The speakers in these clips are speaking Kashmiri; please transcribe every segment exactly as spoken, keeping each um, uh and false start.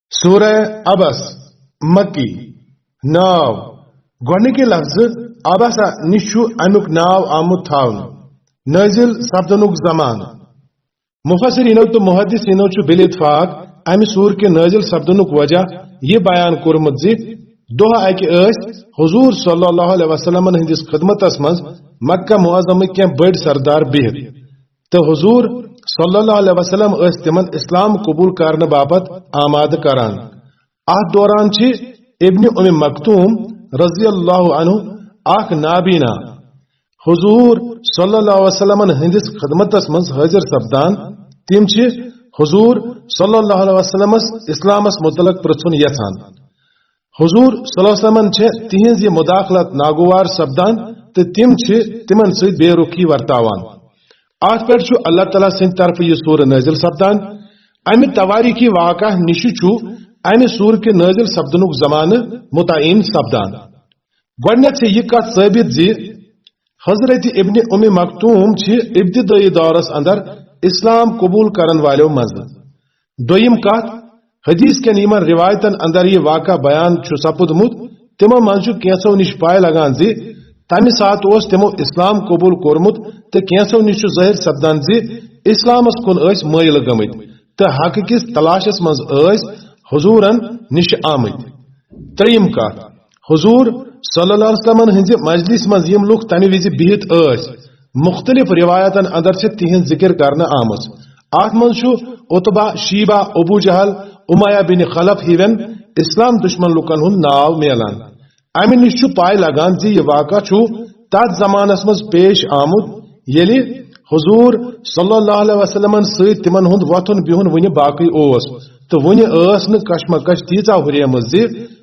سورہ عبس، مکی۔ ناو، گۄڈنِکہِ لفظ عبسہ نِش چھُ امیُک ناو آمُت تھاونہٕ۔ نٲزِل سپدنُک زمانہٕ۔ مفسرینو تہٕ محدثینو چھُ بالاتفاق امہِ سورٕ کہِ نٲزِل سپدنُک وجہ یہِ بیان کوٚرمُت زِ دۄہ اکہِ ٲسۍ حضور صلی اللہ علیہ وسلمن ہٕنٛدِس خدمتس منٛز مکہ معظمٕکۍ کینٛہہ بٔڑۍ سردار بِہِتھ، تہٕ حضور صلی اللہ علیہ وسلم ٲسۍ تِمن اسلام قبول کرنہٕ باپتھ آمادٕ کران۔ اتھ دوران چھِ ابن ام مکتوم رضی اللہ عنہ اکھ نابینا حضور صلی اللہ علیہ وسلمن ہٕنٛدِس خدمتس منٛز حٲضِر سپدان۔ تِم چھِ حضور صلی اللہ علیہ وسلمس اسلامس متعلق پرژھُن یژھان۔ حضور صلی اللہ علیہ وسلمن چھِ تِہنٛز یہِ مداخلت ناگوار سپدان تہٕ تِم چھِ تِمن سۭتۍ بے رُخی ورتاوان۔ اتھ پٮ۪ٹھ چھُ اللہ تعالیٰ سٕنٛدِ طرفہٕ یہِ سورہ نٲزِل سپدان۔ امہِ توٲریخی واقعہ نِش چھُ امہِ سورٕ کہِ نٲزِل سپدنُک زمانہٕ متعین سپدان۔ گۄڈنیتھ چھِ یہِ کتھ ثٲبت زِ حضرت ابن ام مکتوم چھِ ابتدٲئی دورس اندر اسلام قبول کرن والٮ۪و منٛزٕ۔ دوٚیِم کتھ، حدیث کٮ۪ن یِمن روایتن اندر یہِ واقعہ بیان چھُ سپُدمُت، تِمو منٛز چھُ کینٛژھو نِش پاے لگان زِ تمہِ ساتہٕ اوس تِمو اسلام قبول کوٚرمُت، تہٕ کینٛژھو نِش چھُ ظٲہِر سپدان زِ اسلامس کُن ٲسۍ مٲیِل گٔمٕتۍ تہٕ حق کِس تلاشس منٛز ٲسۍ حضورن نِش آمٕتۍ۔ ترٛیٚیِم کتھ، حضور صلی اللہ علیہ وسلمن ہٕنٛزِ مجلس منٛز یِم لُکھ تمہِ وِزِ بِہِتھ ٲسۍ، مُختٔلِف روایتن اندر چھِ تِہنٛز ذِکِر کرنہٕ آمٕژ۔ اتھ منٛز چھُ عتبہ، شیبہ، ابو جہل، امیہ بن خلف ہِوٮ۪ن اسلام دُشمن لُکن ہُنٛد ناو میلان۔ امہِ نِش چھُ پاے لگان زِ یہِ واقعہ چھُ تتھ زمانس منٛز پیش آمُت، ییٚلہِ حضور صلی اللہ علیہ وسلمن سۭتۍ تِمن ہُنٛد وۄتھُن بِہُن وُنہِ باقٕے اوس، تہٕ وُنہِ ٲس نہٕ کشمکش تیٖژاہ ہُریمٕژ زِ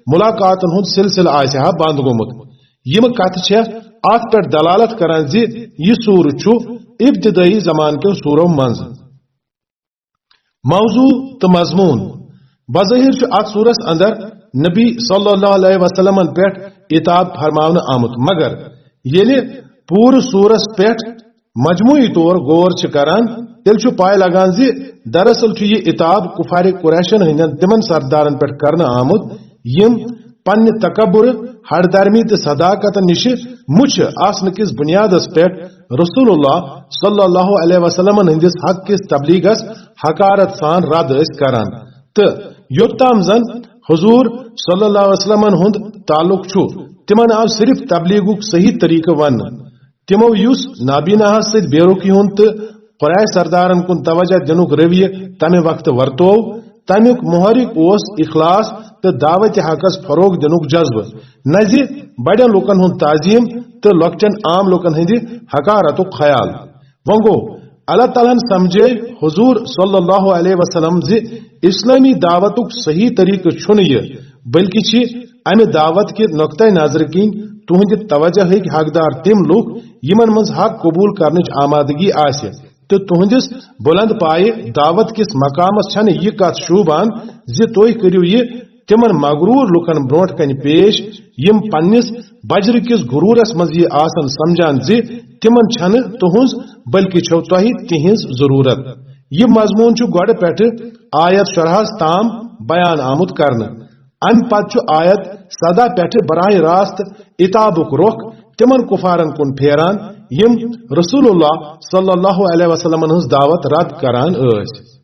ملاقاتن ہُنٛد سلسلہٕ آسہِ ہا بنٛد گوٚمُت۔ یِم کتھٕ چھےٚ اتھ پٮ۪ٹھ دلالت کران زِ یہِ سورٕ چھُ ابتدٲئی زمانہٕ کٮ۪و سورو منٛز۔ موضوع تہٕ مضموٗن۔ بظٲہِر چھُ اتھ سورس اندر نبی صلی اللہ علیہ وسلمن پٮ۪ٹھ عتاب فرماونہٕ آمُت، مگر ییٚلہِ پوٗرٕ سورس پٮ۪ٹھ مجموعی طور غور چھِ کران، تیٚلہِ چھُ پاے لگان زِ دراصل چھُ یہِ عتاب کفار قریشن ہٕنٛدٮ۪ن تِمن سردارن پٮ۪ٹھ کرنہٕ آمُت، یِم پننہِ تکبر، ہٹ دھرمی تہٕ صداقت نِشہِ مُچھِ آسنہٕ کِس بُنیادس پٮ۪ٹھ رسول اللہ صلی اللہ علیہ وسلمن ہٕنٛدِس حق کِس تبلیغس حقارت سان رد ٲسۍ کران۔ تہٕ یوٚت تام زن حضور صلی اللہ علیہ وسلمن ہُنٛد تعلق چھُ، تِمن آو صرف تبلیغُک صحیح طریقہٕ وننہٕ۔ تِمو یُس نابیناہس سۭتۍ بے رُخی ہُنٛد تہٕ قریش سردارن کُن توجہ دِنُک رویہ تمہِ وقتہٕ ورتوو، تمیُک محرک اوس اخلاص تہٕ دعوت حقس فروغ دِنُک جذبہٕ، نہ زِ بڑٮ۪ن لوٗکن ہُنٛد تعظیم تہٕ لۄکٹٮ۪ن عام لوٗکن ہٕنٛدِ حقارتُک خیال۔ وۄنۍ گوٚو، اللہ تعالیٰ ہن سمجھے حضور صلی اللہ علیہ وسلم زِ اسلٲمی دعوتُک صحیح طریقہٕ چھُنہٕ یہِ، بلکہِ چھِ امہِ دعوت کہِ نقطہ نظرٕ کِنۍ تُہنٛدِ توجہٕکۍ حقدار تِم لوٗکھ یِمن منٛز حق قبول کرنٕچ آمادگی آسہِ، تہٕ تُہنٛدِس بلند پایہِ دعوت کِس مقامس چھنہٕ یہِ کتھ شوٗبان زِ تُہۍ کٔرِو یہِ تِمن مغرور لوٗکن برونٛٹھ کنہِ پیش، یِم پننِس بجرٕ کِس غرورس منٛز یہِ آسن سمجھان زِ تِمن چھنہٕ تُہنٛز، بلکہِ چھو تۄہہِ تِہنٛز ضرورت۔ یہِ مضموٗن چھُ گۄڈٕ پٮ۪ٹھٕ آیت شُراہس تام بیان آمُت کرنہٕ۔ امہِ پتہٕ چھُ آیت سداہ پٮ۪ٹھٕ براہ راست عتابُک رخ تِمن کفارن کُن پھیران، یِم رسول اللہ صلی اللہ علیہ وسلمن ہٕنٛز دعوت رد کران ٲسۍ۔